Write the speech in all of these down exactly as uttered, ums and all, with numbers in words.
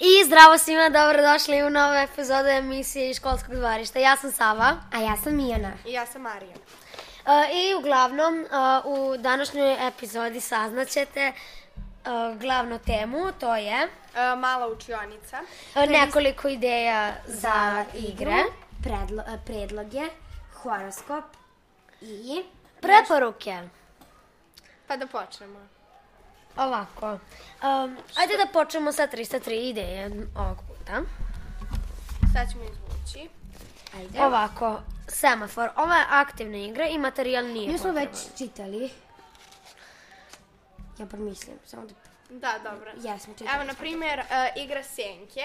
I zdravo svima, dobrodošli u novu epizodu emisije iz školskog dvorišta. Ja sam Sava. A ja sam Mijana. I ja sam Marija. Uh, I uglavnom uh, u današnjoj epizodi saznaćete uh, glavnu temu, to je Uh, mala učionica. uh, nekoliko ideja za igre, predlo, predloge, horoskop i preporuke. Pa da počnemo. Ovako, um, ajde da počnemo sa trista tri ideje ovog puta. Sad ćemo izvući. ajde. Ovako, semafor, ova je aktivna igra i materijal nije Mi smo potreban. već čitali. Ja promislim, samo da... Da, dobro. Jesmo čitali. Evo, na primjer, uh, igra Senke.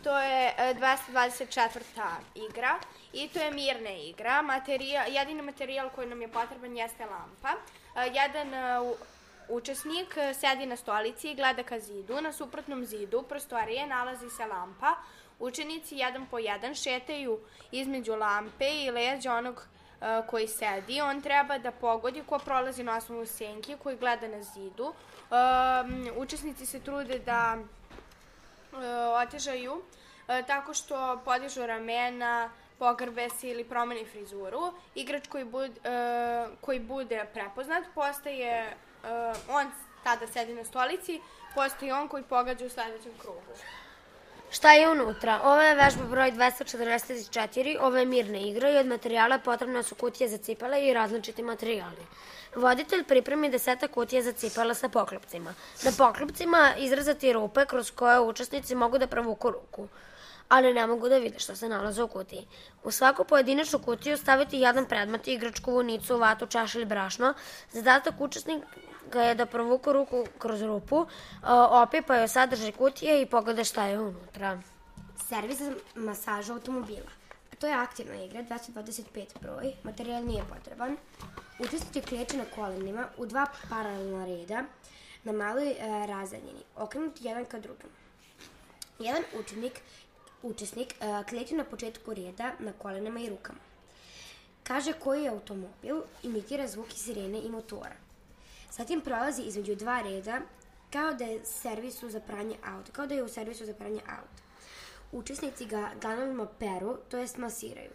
To je uh, dvesta dvadeset četvrta igra i to je mirna igra. Materijal, jedini materijal koji nam je potreban jeste lampa. Uh, jedan uh, učesnik uh, sedi na stolici i gleda ka zidu. Na suprotnom zidu prostorije nalazi se lampa. Učenici jedan po jedan šetaju između lampe i leđa onog uh, koji sedi. On treba da pogodi ko prolazi na osnovu senke koji gleda na zidu. Um, učesnici se trude da uh, otežaju uh, tako što podižu ramena, pogrbe se ili promeni frizuru. Igrač koji, bud, uh, koji bude prepoznat postaje, uh, on tada sedi na stolici, postaje on koji pogađa u sledećem krugu. Šta je unutra? Ovo je vežba broj dvesta četrdeset četiri, ovo je mirna igra i od materijala potrebne su kutije za cipele i različiti materijali. Voditelj pripremi desetak kutija za cipele sa poklopcima. Na poklopcima izrezati rupe kroz koje učesnici mogu da provuku ruku, ali ne mogu da vide što se nalaze u kutiji. U svaku pojedinačnu kutiju staviti jedan predmet, igračku, vunicu, vatu, čaš ili brašno. Zadatak učesnika je da provuku ruku kroz rupu, opipaju sadržaj kutije i pogleda šta je unutra. Servis za masažu automobila. To je aktivna igra, dvesta dvadeset pet broj, materijal nije potreban. Učesnici kleče na kolenima u dva paralelna reda na maloj e, razdaljini, okrenuti jedan ka drugom. Jedan učenik, učesnik e, kleče na početku reda na kolenima i rukama. Kaže koji je automobil, imitira zvuki sirene i motora. Zatim prolazi između dva reda kao da je servisu za pranje auta, kao da je u servisu za pranje auta. Učesnici ga dlanovima peru, to jest masiraju.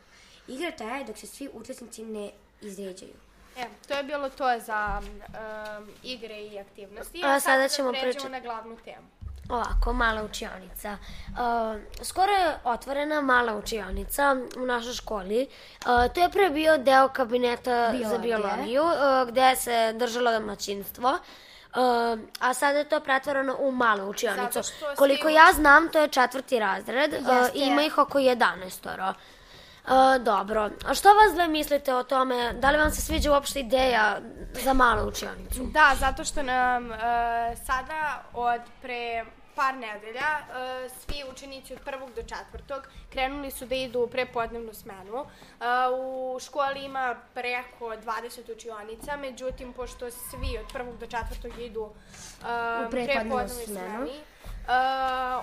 Igra traje dok se svi učesnici ne izređaju. E, to je bilo to za um, igre i aktivnosti. A sada sad ćemo da pređemo pričati- na glavnu temu. Ovako, mala učionica. Uh, skoro je otvorena mala učionica u našoj školi. Uh, to je pre bio deo kabineta Biologije. za biologiju, uh, gde se držalo domaćinstvo. Uh, a sada je to pretvoreno u malu učionicu. Zato što svi Koliko ja znam, to je četvrti razred. Uh, Jeste. ima ih oko jedanaestoro. Uh, dobro. A što vas dve mislite o tome? Da li vam se sviđa uopšte ideja za malu učionicu? Da, zato što nam uh, sada od pre par nedelja uh, svi učenici od prvog do četvrtog krenuli su da idu u prepodnevnu smenu. Uh, u školi ima preko dvadeset učionica, međutim, pošto svi od prvog do četvrtog idu uh, U prepodnevnu prepodnevnoj smenu. smeni, Uh,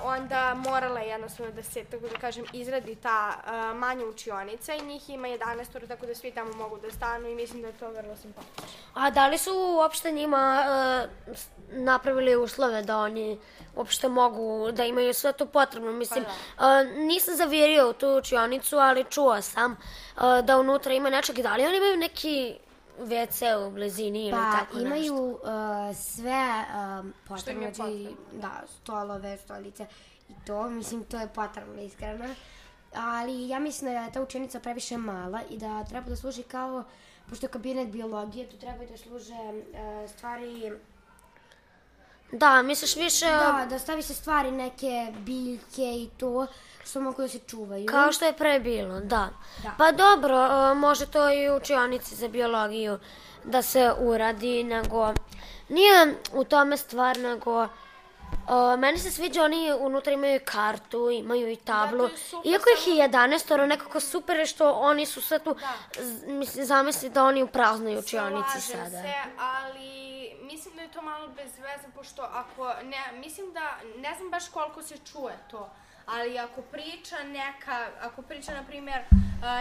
onda morala je jednostavno da se, tako da kažem, izradi ta uh, manja učionica i njih ima jedanaest, tako da svi tamo mogu da stanu i mislim da je to vrlo simpatično. A da li su uopšte njima uh, s- napravili uslove da oni uopšte mogu da imaju sve to potrebno? Mislim, Pa uh, nisam zavirio u tu učionicu, ali čuo sam uh, da unutra ima nečeg. Da li oni imaju neki ve ce u blizini ili Pa tako nešto? imaju uh, sve um, Što im je potrebno, znači, potrebno. da, stolove, stolice i to, mislim, to je potrebno, iskreno. Ali ja mislim da je ta učenica previše mala i da treba da služi kao, pošto je kabinet biologije, tu treba da služe uh, stvari, Da, misliš više da, da stavi se stvari neke biljke i to, što mogu da se čuvaju. kao što je pre bilo, da. Da. Pa dobro, uh, može to i u učionici za biologiju da se uradi, nego nije u tome stvar, nego Uh, meni se sviđa, oni unutra imaju kartu, imaju i tablu. Da, to je super, Iako ih je jedanaestoro, nekako super je što oni su sve tu, z- mislim, zamisli da oni u praznoj učionici Slažem sada. se, ali mislim da je to malo bez veze, pošto ako, ne, mislim da, ne znam baš koliko se čuje to, ali ako priča neka, ako priča, na primjer,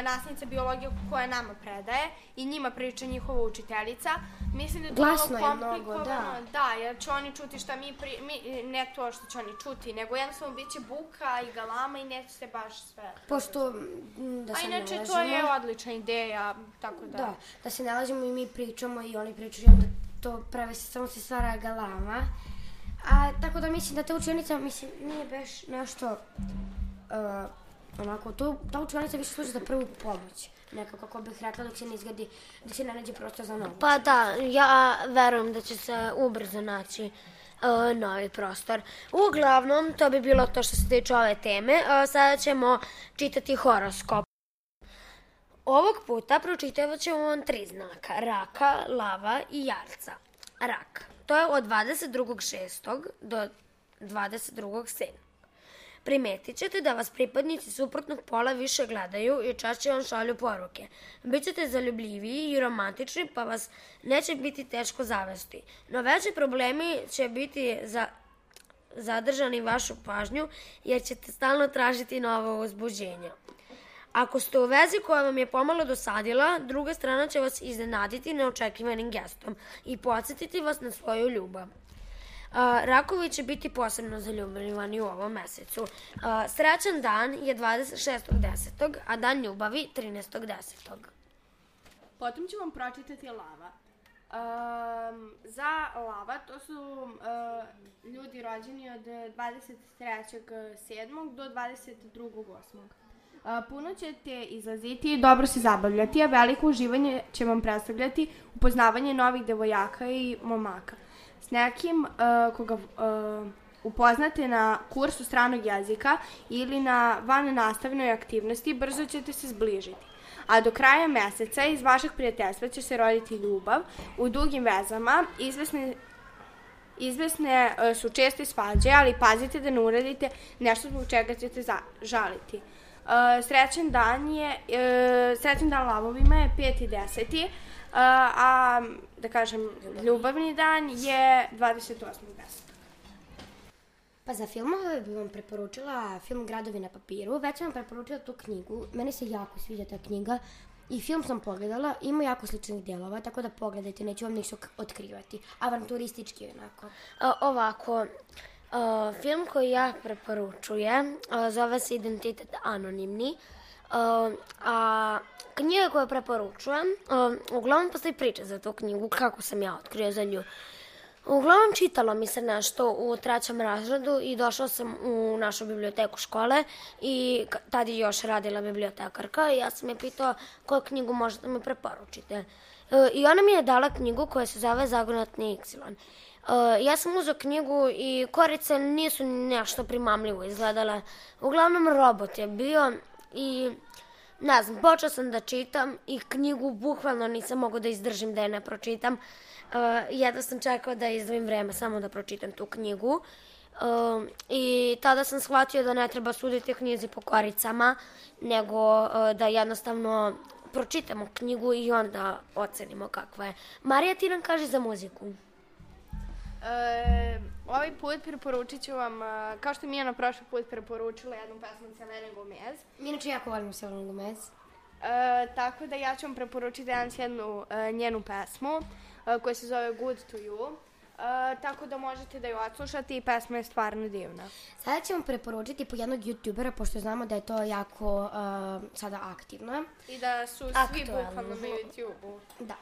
nastavnica biologije koja nama predaje i njima priča njihova učiteljica, mislim da je to Glasno malo je mnogo, komplikovano. da. Da, jer će oni čuti šta mi, pri, mi, ne to što će oni čuti, nego jednostavno bit će buka i galama i neće se baš sve. Pošto, m, da se ne A inače, lažemo... to je odlična ideja, tako da... Da, da se ne lažemo i mi pričamo i oni pričaju, onda to pravi se, samo se stvara galama. A, tako da mislim da ta učionica, mislim, nije baš nešto, uh, onako, to, ta učionica više služi za prvu pomoć. Nekako, kako bih rekla, dok se ne izgradi, da se ne nađe prostor za novu. Pa da, ja verujem da će se ubrzo naći uh, novi prostor. Uglavnom, to bi bilo to što se tiče ove teme. Uh, sada ćemo čitati horoskop. Ovog puta pročitavat ćemo vam tri znaka, raka, lava i jarca. Rak. To je od dvadeset drugog šestog do dvadeset drugog sedmog Primetit ćete da vas pripadnici suprotnog pola više gledaju i češće vam šalju poruke. Bićete zaljubljiviji i romantični, pa vas neće biti teško zavesti. No veći problemi će biti za zadržani vašu pažnju, jer ćete stalno tražiti novo uzbuđenje. Ako ste u vezi koja vam je pomalo dosadila, druga strana će vas iznenaditi neočekivanim gestom i podsjetiti vas na svoju ljubav. Rakovi će biti posebno zaljubljivani u ovom mesecu. Srećan dan je dvadeset šestog desetog a dan ljubavi trinaestog desetog Potom ću vam pročitati lava. Um, za lava, to su uh, ljudi rođeni od dvadeset trećeg sedmog do dvadeset drugog osmog Uh, puno ćete izlaziti i dobro se zabavljati, a veliko uživanje će vam predstavljati upoznavanje novih devojaka i momaka. S nekim uh, koga uh, upoznate na kursu stranog jezika ili na vannastavnoj aktivnosti, brzo ćete se zbližiti. A do kraja meseca iz vašeg prijateljstva će se roditi ljubav u dugim vezama. Izvesne, izvesne uh, su česte svađe, ali pazite da ne uradite nešto zbog čega ćete za, žaliti. Uh, srećan dan je, uh, srećan dan lavovima je peti deseti Uh, a, da kažem, ljubavni dan je dvadeset osmog desetog Pa za filmove bih vam preporučila film Gradovi na papiru. Već sam vam preporučila tu knjigu. Meni se jako sviđa ta knjiga i film sam pogledala. Ima jako sličnih dijelova, tako da pogledajte, neću vam ništa otkrivati. Avanturistički onako. A, ovako, a, film koji ja preporučujem a, zove se Identitet anonimni. A, a knjiga koju preporučujem, a, uglavnom postoji priča za tu knjigu, kako sam ja otkrio za nju. Uglavnom čitalo mi se nešto u trećem razredu i došla sam u našu biblioteku škole i tad je još radila bibliotekarka i ja sam je pitao koju knjigu možete mi preporučite. E, I ona mi je dala knjigu koja se zove Zagonetni Iksilon. E, ja sam uzeo knjigu i korice nisu nešto primamljivo izgledale. Uglavnom robot je bio i ne znam, počeo sam da čitam i knjigu bukvalno nisam mogao da izdržim da je ne pročitam. Uh, jedno sam čekao da izdvojim vreme samo da pročitam tu knjigu. Uh, I tada sam shvatio da ne treba suditi knjizi po koricama, nego uh, da jednostavno pročitamo knjigu i onda ocenimo kakva je. Marija, ti nam kaži za muziku. E, ovaj put preporučit ću vam, kao što je Mijana prošli put preporučila jednu pesmu od Selene Gomez. Mi inače jako volim Selenu Gomez. E, tako da ja ću vam preporučiti danas jednu e, njenu pesmu e, koja se zove Good to You. E, tako da možete da ju odslušate i pesma je stvarno divna. Sada ćemo preporučiti po jednog youtubera, pošto znamo da je to jako uh, sada aktivno. I da su svi Aktualno. bukvalno na YouTube-u. Da.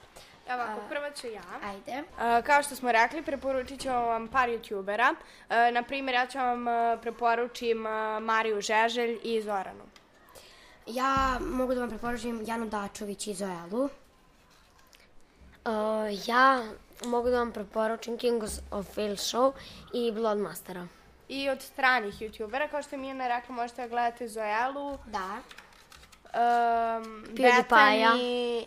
Evo ovako, prva ću ja. Ajde. Uh, kao što smo rekli, preporučit ću vam par youtubera. Uh, naprimjer, ja ću vam uh, preporučim uh, Mariju Žeželj i Zoranu. Ja mogu da vam preporučim Janu Dačović i Zoelu. Uh, ja mogu da vam preporučim Kings of Field Show i Bloodmastera. I od stranih youtubera, kao što je Mijana rekla, možete da gledate Zoelu, Da. um, PewDiePie-a. Bethany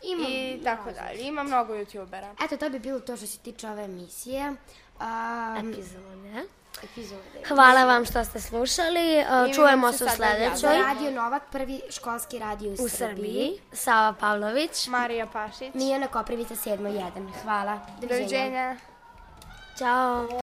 Imam i tako dalje. Ima mnogo youtubera. Eto, to bi bilo to što se tiče ove emisije. Um, Epizode. epizode. Hvala vam što ste slušali. Uh, Čujemo se u sad sledećoj Za Radio Novak, prvi školski radio u, u Srbiji. Sava Pavlović. Marija Pašić. Mijana Koprivica sedam jedan. Hvala. Doviđenja. Ćao.